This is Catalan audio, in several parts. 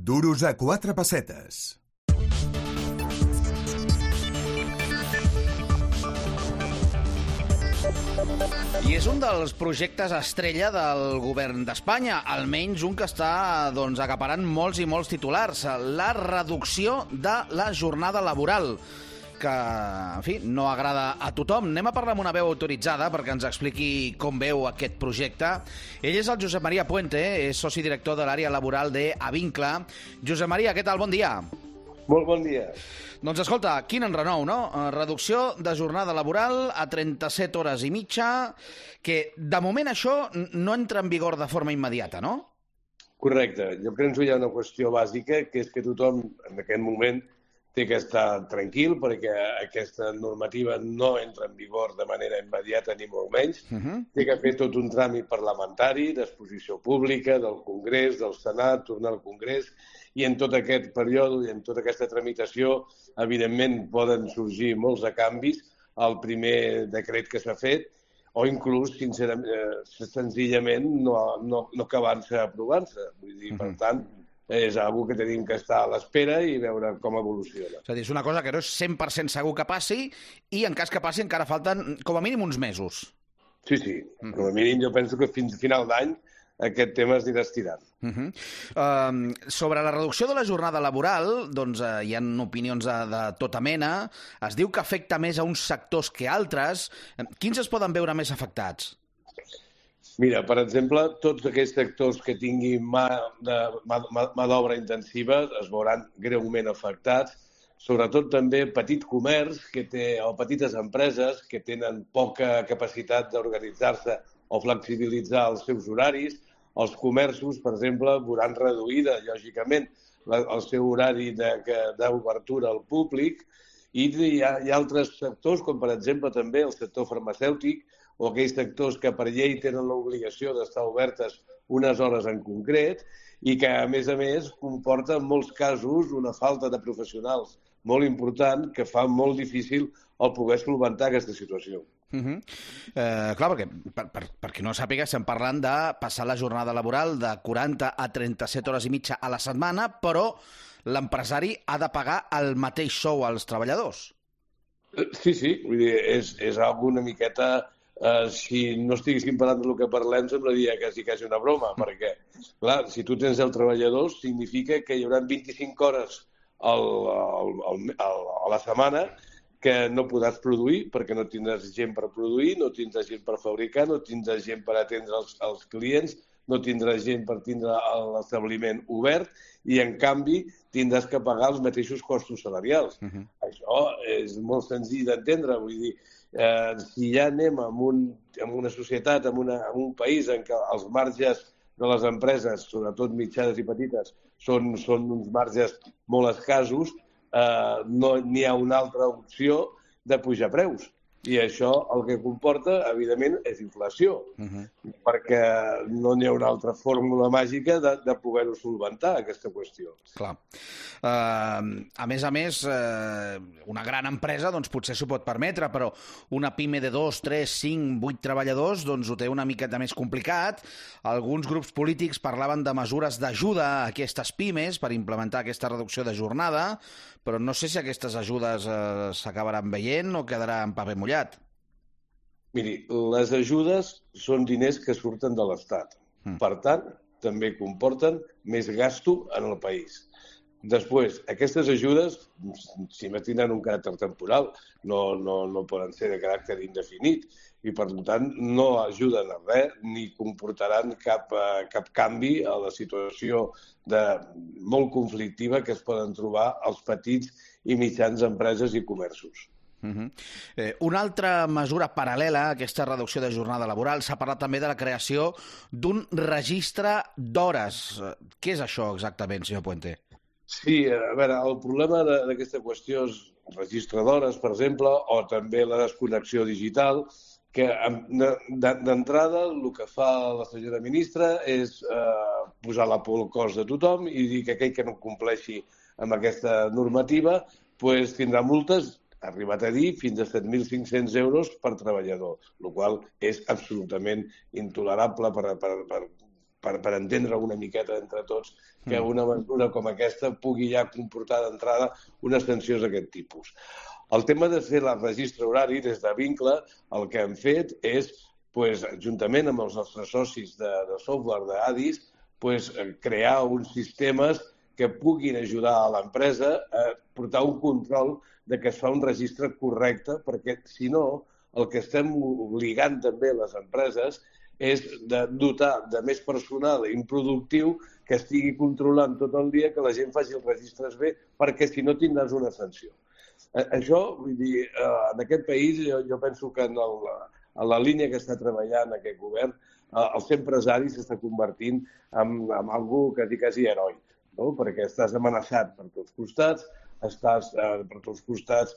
Duros a 4 pessetes. I és un dels projectes estrella del govern d'Espanya, almenys un que està acaparant molts i molts titulars, la reducció de la jornada laboral, que, en fi, no agrada a tothom. Anem a parlar amb una veu autoritzada perquè ens expliqui com veu aquest projecte. Ell és el Josep Maria Puente, és soci director de l'àrea laboral d'Avincla. Josep Maria, què tal? Bon dia. Molt bon dia. Doncs escolta, quin enrenou, no? Reducció de jornada laboral a 37 hores i mitja, que de moment això no entra en vigor de forma immediata, no? Correcte. Jo penso que hi ha una qüestió bàsica, que és que tothom en aquest moment té que estar tranquil perquè aquesta normativa no entra en vigor de manera immediata ni molt menys. Té que fer tot un tràmit parlamentari, d'exposició pública, del Congrés, del Senat, tornar al Congrés, i en tot aquest període i en tota aquesta tramitació, evidentment, poden sorgir molts de canvis al primer decret que s'ha fet, o inclús, senzillament, no acabant-se aprovant-se. Vull dir, per tant, és una que tenim que estar a l'espera i veure com evoluciona. És a dir, és una cosa que no és 100% segur que passi i en cas que passi encara falten com a mínim uns mesos. Sí. Com a mínim jo penso que fins a final d'any aquest tema es anirà estirant. Sobre la reducció de la jornada laboral, doncs hi ha opinions de tota mena. Es diu que afecta més a uns sectors que altres. Quins es poden veure més afectats? Mira, per exemple, tots aquells sectors que tinguin mà d'obra intensiva es veuran greument afectats, sobretot també petit comerç o petites empreses que tenen poca capacitat d'organitzar-se o flexibilitzar els seus horaris. Els comerços, per exemple, veuran reduïda, lògicament, el seu horari d'obertura al públic, i hi ha altres sectors, com per exemple també el sector farmacèutic, o aquells sectors que per llei tenen l'obligació d'estar obertes unes hores en concret i que, a més, comporta en molts casos una falta de professionals molt important que fa molt difícil el poder solventar aquesta situació. Clar, perquè qui no sàpiga, estem parlant de passar la jornada laboral de 40 a 37 hores i mitja a la setmana, però l'empresari ha de pagar el mateix sou als treballadors. Sí, vull dir, és una miqueta... Si no estiguéssim parlant del que parlem, semblaria quasi una broma, perquè, clar, si tu tens 10 treballadors, significa que hi haurà 25 hores a la setmana que no podràs produir, perquè no tindràs gent per produir, no tindràs gent per fabricar, no tindràs gent per atendre els clients, no tindràs gent per tindre l'establiment obert i, en canvi, tindràs que pagar els mateixos costos salarials. Això és molt senzill d'entendre, vull dir, si ja anem en una societat, en un país en què els marges de les empreses, sobretot mitjanes i petites, són uns marges molt escassos, no n'hi ha una altra opció de pujar preus. I això el que comporta, evidentment, és inflació, perquè no n'hi ha una altra fórmula màgica de poder-ho solventar, aquesta qüestió. Clar. A més, una gran empresa doncs, potser s'ho pot permetre, però una pime de 2, 3, 5, 8 treballadors doncs, ho té una miqueta més complicat. Alguns grups polítics parlaven de mesures d'ajuda a aquestes pimes per implementar aquesta reducció de jornada, però no sé si aquestes ajudes s'acabaran veient o quedarà en paper mullat. Miri, les ajudes són diners que surten de l'Estat. Per tant, també comporten més gasto en el país. Després, aquestes ajudes, si més tenen un caràcter temporal, no poden ser de caràcter indefinit i, per tant, no ajuden a res ni comportaran cap canvi a la situació molt conflictiva que es poden trobar els petits i mitjans empreses i comerços. Una altra mesura paral·lela a aquesta reducció de jornada laboral s'ha parlat també de la creació d'un registre d'hores. Què és això exactament, senyor Puente? Sí, a veure, el problema d'aquesta qüestió és el registre d'hores, per exemple, o també la desconnexió digital, que d'entrada el que fa la senyora ministra és posar la por al cos de tothom i dir que aquell que no compleixi amb aquesta normativa tindrà multes, ha arribat a dir, fins a 7.500 euros per treballador, el qual és absolutament intolerable per entendre una miqueta entre tots que una mesura com aquesta pugui ja comportar d'entrada unes sancions d'aquest tipus. El tema de fer el registre horari des de Vincle, el que hem fet és, juntament amb els nostres socis de software d'Adis, crear uns sistemes que puguin ajudar a l'empresa a portar un control de que es fa un registre correcte, perquè si no, el que estem obligant també a les empreses és de dotar de més personal improductiu que estigui controlant tot el dia que la gent faci els registres bé, perquè si no tindràs una sanció. Això, vull dir, en aquest país jo penso que en la línia que està treballant aquest govern, el ser empresari s'està convertint en algo quasi heroic, no? Perquè estàs amenaçat per tots costats, estàs per tots costats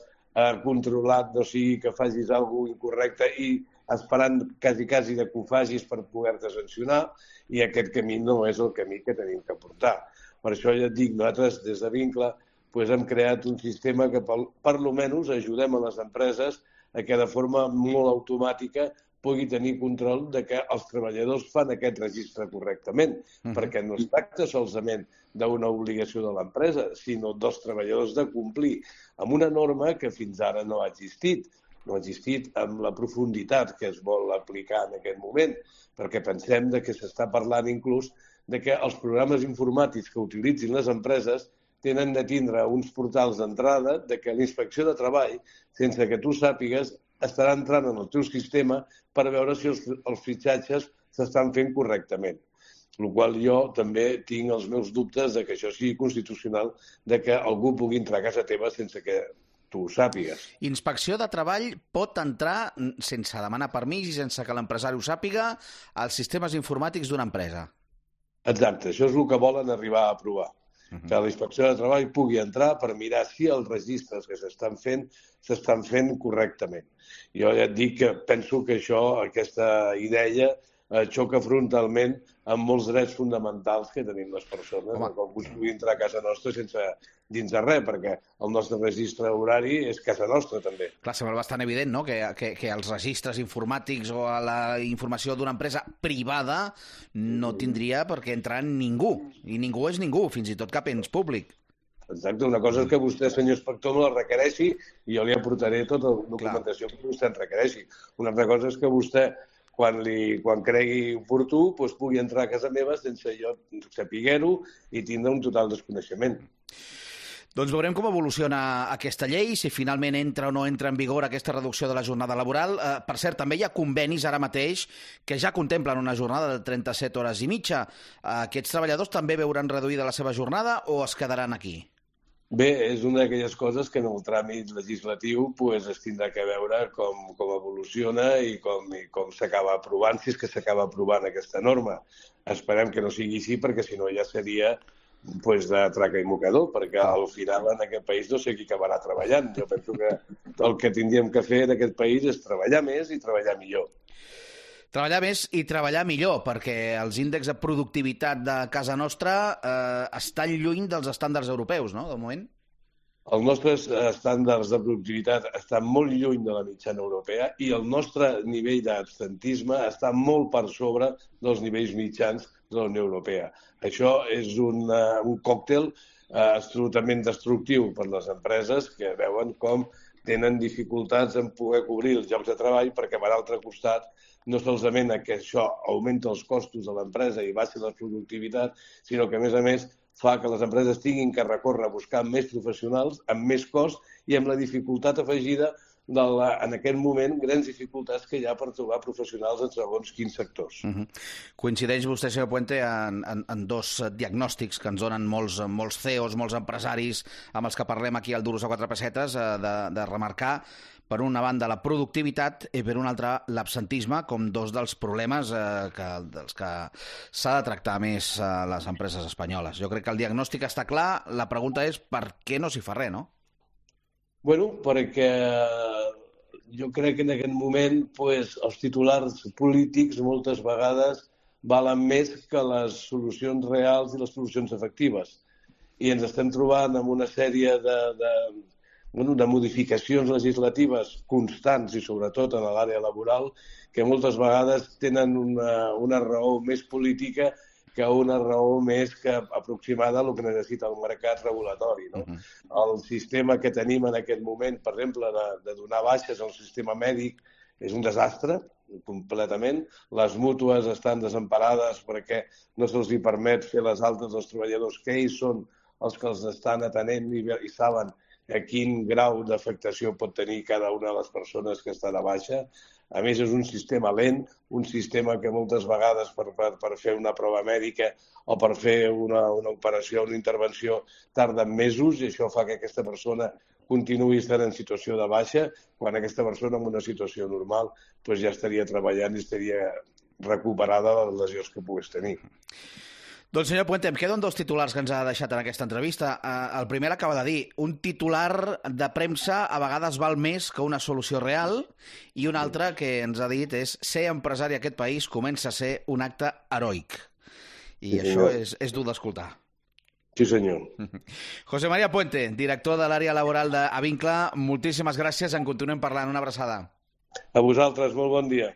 controlat, no sigui que facis alguna cosa incorrecte i esperant quasi de que ho facis per poder-te sancionar, i aquest camí no és el camí que tenim que portar. Per això ja et dic, nosaltres des de Vincle hem creat un sistema que per almenys ajudem a les empreses a que de forma molt automàtica pugui tenir control de que els treballadors fan aquest registre correctament, perquè no es tracta solament d'una obligació de l'empresa, sinó dels treballadors de complir amb una norma que fins ara no ha existit. No ha existit amb la profunditat que es vol aplicar en aquest moment, perquè pensem que s'està parlant inclús de que els programes informàtics que utilitzin les empreses tenen de tindre uns portals d'entrada de que l'inspecció de treball, sense que tu sàpigues, estarà entrant en el teu sistema per veure si els fitxatges s'estan fent correctament. El qual jo també tinc els meus dubtes de que això sigui constitucional, de que algú pugui entrar a casa teva sense que tu ho sàpigues. Inspecció de treball pot entrar sense demanar permís i sense que l'empresari ho sàpiga als sistemes informàtics d'una empresa. Exacte, això és el que volen arribar a aprovar. Que la inspecció de treball pugui entrar per mirar si els registres que s'estan fent correctament. Jo ja et dic que penso que aquesta idea xoca frontalment amb molts drets fonamentals que tenim les persones, que algú pugui entrar a casa nostra sense dins de res, perquè el nostre registre horari és casa nostra, també. Clar, sembla bastant evident, no?, que els registres informàtics o a la informació d'una empresa privada no tindria per què entrar ningú. I ningú és ningú, fins i tot cap ens públic. Exacte, una cosa és que vostè, senyor inspector, me la requereixi i jo li aportaré tota la documentació que vostè en requereixi. Una altra cosa és que vostè, quan cregui oportú, pugui entrar a casa meva sense jo saber-ho i tindre un total desconeixement. Doncs veurem com evoluciona aquesta llei, si finalment entra o no entra en vigor aquesta reducció de la jornada laboral. Per cert, també hi ha convenis ara mateix que ja contemplen una jornada de 37 hores i mitja. Aquests treballadors també veuran reduïda la seva jornada o es quedaran aquí? Bé, és una d'aquelles coses que en el tràmit legislatiu es tindrà que veure com evoluciona i com s'acaba aprovant, si és que s'acaba aprovant aquesta norma. Esperem que no sigui així, perquè si no ja seria de traca i mocador, perquè al final en aquest país no sé qui acabarà treballant. Jo penso que el que tindríem que fer en aquest país és treballar més i treballar millor. Treballar més i treballar millor, perquè els índexs de productivitat de casa nostra estan lluny dels estàndards europeus, no?, de moment. Els nostres estàndards de productivitat estan molt lluny de la mitjana europea i el nostre nivell d'absentisme està molt per sobre dels nivells mitjans de la Unió Europea. Això és un còctel absolutament destructiu per les empreses que veuen com tenen dificultats en poder cobrir els llocs de treball perquè, per altre costat, no solament que això augmenta els costos de l'empresa i baixa la productivitat, sinó que, a més, fa que les empreses tinguin que recórrer a buscar més professionals, amb més cost i amb la dificultat afegida en aquest moment, grans dificultats que hi ha per trobar professionals en segons quins sectors. Coincideix vostè, senyor Puente, en dos diagnòstics que ens donen molts CEOs, molts empresaris amb els que parlem aquí al Duros a quatre pessetes, de remarcar, per una banda, la productivitat i per una altra, l'absentisme, com dos dels problemes dels que s'ha de tractar més a les empreses espanyoles. Jo crec que el diagnòstic està clar, la pregunta és per què no s'hi fa res, no? Bueno, perquè jo crec que en aquest moment els titulars polítics moltes vegades valen més que les solucions reals i les solucions efectives. I ens estem trobant amb una sèrie de modificacions legislatives constants i sobretot en l'àrea laboral que moltes vegades tenen una raó més política que una raó més que aproximada al que necessita el mercat regulatori. No? El sistema que tenim en aquest moment, per exemple, de donar baixes al sistema mèdic, és un desastre, completament. Les mútues estan desemparades perquè no se'ls permet fer les altes als treballadors, que ells són els que els estan atenent i saben a quin grau d'afectació pot tenir cada una de les persones que està de baixa. A més, és un sistema lent, un sistema que moltes vegades per fer una prova mèdica o per fer una operació, una intervenció, tarden mesos, i això fa que aquesta persona continuï estant en situació de baixa, quan aquesta persona en una situació normal doncs ja estaria treballant i estaria recuperada de les lesions que pogués tenir. Doncs, senyor Puente, em queden 2 titulars que ens ha deixat en aquesta entrevista. El primer acaba de dir, un titular de premsa a vegades val més que una solució real, i un altre que ens ha dit és ser empresari a aquest país comença a ser un acte heroic. I això és dur d'escoltar. Sí, senyor. José María Puente, director de l'àrea laboral d'Avincla, moltíssimes gràcies, en continuem parlant. Una abraçada. A vosaltres, molt bon dia.